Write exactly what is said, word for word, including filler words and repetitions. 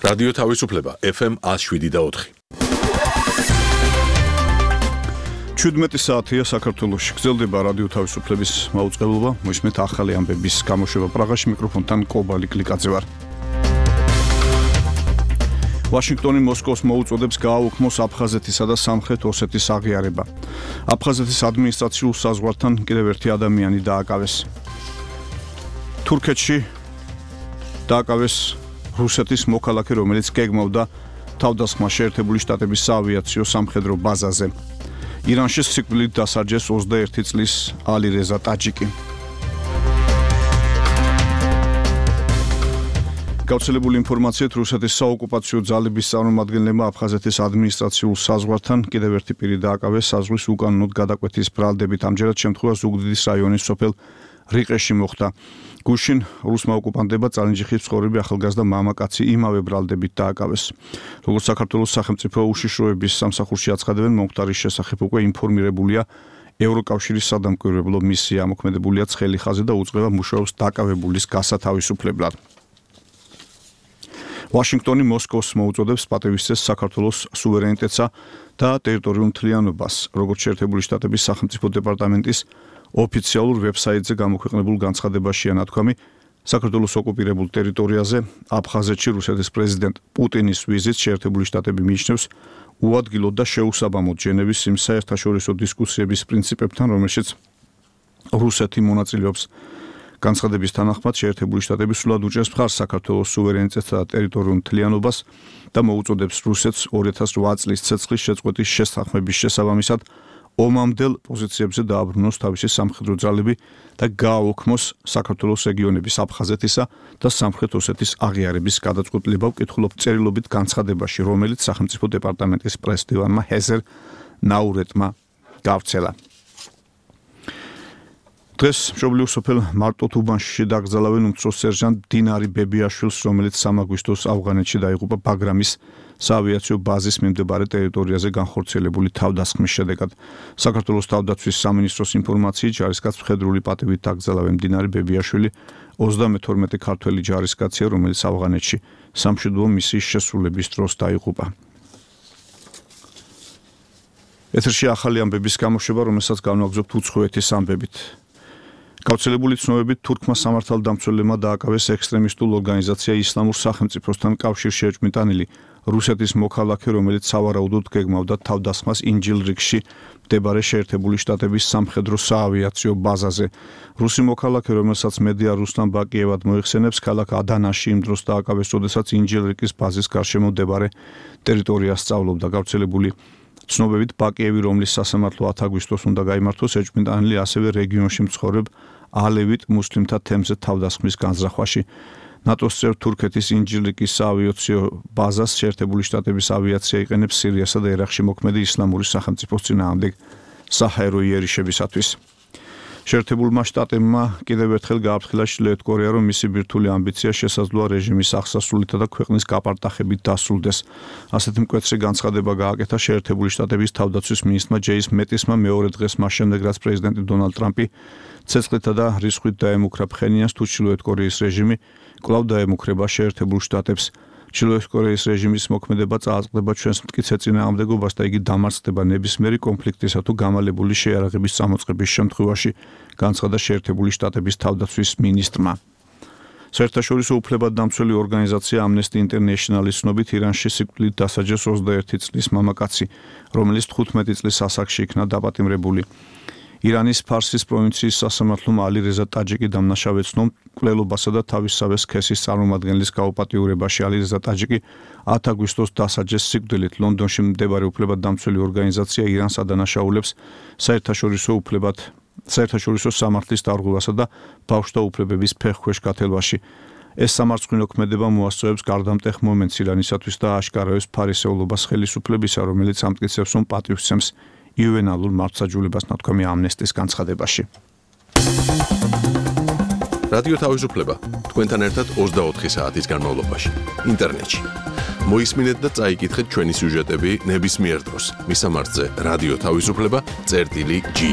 რადიო თავისუფლება ეფ ემ one oh seven და four. ჩვიდმეტი საათია საქართველოში. გრძელდება რადიო თავისუფლების მაუწყებლობა. მოისმენთ ახალი ამბების გამოშვება პრაღაში. მიკროფონთან კობალი კლიკაძე ვარ. ვაშინგტონი მოსკოვს მოუწოდებს გააუქმოს აფხაზეთისა და სამხრეთ ოსეთის აღიარება. აფხაზეთის ადმინისტრაციულ საზღვართან კიდევ ერთი ადამიანი დააკავეს. თურქეთში დააკავეს რუსეთის მოქალაქე, რომელიც გეგმავდა თავდასხმას შეერთებული შტატების საავიაციო სამხედრო ბაზაზე. ირანში სიკვდილით დასაჯეს ოცდაერთი წლის ალი რეზა ტაჯიკი. გავრცელებული ინფორმაციით რუსეთის საოკუპაციო ძალების წარმომადგენლებმა აფხაზეთის ადმინისტრაციულ საზღვართან კიდევ ერთი პირი დააკავეს საზღვრის უკანონოდ გადაკვეთის ბრალდებით. ამჯერად შემთხვევა ზუგდიდის რაიონის სოფელ რიყეში მოხდა. გუშინ რუსმა ოკუპანტებმა წალენჯიხის მცხოვრები ახალგაზრდა მამაკაცი იმავე ბრალდებით დააკავეს. როგორც საქართველოს სახელმწიფო უშიშროების სამსახურში აცხადებენ, მომხდარის შესახებ უკვე ინფორმირებულია ევროკავშირის სადამკვირვებლო მისია. მოქმედებულია ცხელი ხაზი და უწყება მუშაობს დაკავებულის გასათავისუფლებლად. ვაშინგტონი მოსკოვს მოუწოდებს პატივისცეს საქართველოს სუვერენიტეტსა და ტერიტორიულ მთლიანობას. როგორც შეერთებული შტატების სახელმწიფო დეპარტამენტის ოფიციალურ ვებსაიტზე გამოქვეყნებულ განცხადებაშია ნათქვამი, საქართველოს ოკუპირებულ ტერიტორიაზე აფხაზეთში რუსეთის პრეზიდენტ პუტინის ვიზიტს შეერთებული შტატები მიიჩნევს უადგილოდ და შეუსაბამოდ ჟენევის იმ საერთაშორისო დისკუსიების პრინციპებთან, რომელშიც რუსეთი მონაწილეობს. განცხადების თანახმად შეერთებული შტატები სრულად უჭერს მხარს საქართველოს სუვერენიტეტსა და ტერიტორიულ მთლიანობას და მოუწოდებს რუსეთს ორი ათას ოთხ წლის ცეცხლის შეწყვეტის შესახმების შესაბამისად ომამდელ პოზიციებზე დააბრუნოს თავისი სამხედრო ძალები და გააუქმოს საქართველოს რეგიონების აფხაზეთისა და სამხრეთ ოსეთის აღიარების გადაწყვეტილება. ვკითხულობ წერილობით განცხადებაში, რომელიც სახელმწიფო დეპარტამენტის პრესდივანმა ჰეზერ ნაურეტმა გავრცელა. დღეს მშობლიურ სოფელ მარტოთუბანში დაკრძალავენ უმცროს სერჟანტ დინარი ბებიაშვილს, რომელიც სამი აგვისტოს ავღანეთში დაიღუპა ბაგრამის საავიაციო ბაზის მიმდებარე ტერიტორიაზე განხორციელებული თავდასხმის შედეგად. საქართველოს თავდაცვის სამინისტროს ინფორმაციით, ჯარისკაცს მხედრული პატივით დაკრძალავენ. დინარი ბებიაშვილი ოცდამეთორმეტე ქართველი ჯარისკაცია, რომელიც ავღანეთში სამშვიდობო მისიის შესრულების დროს დაიღუპა. ეთერში ახალი ამბების გამოშვება, რომელსაც განვაგრძობთ უცხოეთის ამბებით. გავრცელებული ცნობებით თურქმა სამართალდამცველებმა დააკავეს ექსტრემისტულ ორგანიზაცია ისლამურ სახელმწიფოსთან კავშირში ეჭვმიტანილი რუსეთის მოქალაქე, რომელიც სავარაუდოდ გეგმავდა თავდასხმას ინჯილრიგში მდებარე შეერთებული შტატების სამხედრო საავიაციო ბაზაზე. რუსი მოქალაქე, რომელსაც მედია რუსლან ბაკიევად მოიხსენებს, ქალაქ ადანაში იმ დროს დააკავეს, როდესაც ინჯილრიგის ბაზის გარშემო მდებარე ტერიტორიას სწავლობდა. გავრცელებული ცნობებით ბაკიევი, რომლის სასამართლო ათი აგვისტოს უნდა გაიმართოს, ეჭვმიტანილი ასევე რეგიონში მცხოვრებ ალევიტ მუსლიმთა თემზე თავდასხმის განზრახვაში. ნატოს წევრ თურქეთის ინჯილრიგის საავიაციო ბაზას შეერთებული შტატების ავიაცია იყენებს სირიასა და ერაყში მოქმედი ისლამური სახელმწიფოს წინააღმდეგ საჰაერო იერიშებისათვის. შეერთებულმა შტატებმა კიდევ ერთხელ გააფრთხილა ჩრდილოეთ კორეა, რომ მისი ბირთვული ამბიცია შესაძლოა რეჟიმის აღსასრულითა და ქვეყნის გაპარტახებით დასრულდეს. ასეთი მკვეთრი განცხადება გააკეთა შეერთებული შტატების თავდაცვის მინისტრმა ჯეის მეტისმა მეორე დღეს მას შემდეგ, რაც პრეზიდენტი დონალდ ტრამპი ცეცხლითა და რისხვით დაემუქრა ფხენიანს, თუ ჩრდილოეთ კორეის რეჟიმი კვლავ დაემუქრება შეერთებულ შტატებს. ჩრდილოეთ კორეის რეჟიმის მოქმედება წააწყდება ჩვენს მტკიცე წინააღმდეგობას და იგი დამარცხდება ნებისმიერი კონფლიქტისა თუ გამალებული შეიარაღების წამოწყების შემთხვევაში, განცხადა შეერთებული შტატების თავდაცვის მინისტრმა. საერთაშორისო უფლებადდამცველი ორგანიზაცია Amnesty International-ის ცნობით, ირანში სიკვდილით დასაჯეს ოცდაერთი წლის მამაკაცი, რომელიც თხუთმეტი წლის ასაკში იქნა დაპატიმრებული. ირანის ფარსის პროვინციის სასამართლომ ალი რეზა ტაჯიკი დამნაშავეცნო მკვლელობასა და თავისსავე სქესის წარმომადგენლის გაუპატიურებაში. ალი რეზა ტაჯიკი ათი აგვისტოს დასაჯეს სიკვდილით. ლონდონში მდებარე უფლებადდამცველი ორგანიზაცია ირანს ადანაშაულებს საერთაშორისო უფლებად საერთაშორისო სამართლის დარღვევასა და ბავშვთა უფლებების ფეხქვეშ გათელვაში. ეს სამარცხვინო ქმედება მოასწრებს გარდამტეხ მომენტს ირანისათვის და აშკარაებს ფარისეულობას ხელისუფლებისა, რომელიც ამტკიცებს, რომ პატივსცემს იუვენალურ მართლმსაჯულებას, ნათქვამი ამნესტის განცხადებაში. რადიო თავისუფლება თქვენთან ერთად ოცდაოთხი საათის განმავლობაში ინტერნეტში. მოისმინეთ და წაიკითხეთ ჩვენი სიუჟეტები ნებისმიერ დროს. მისამართზე რადიო თავისუფლება წერტილი ჯი.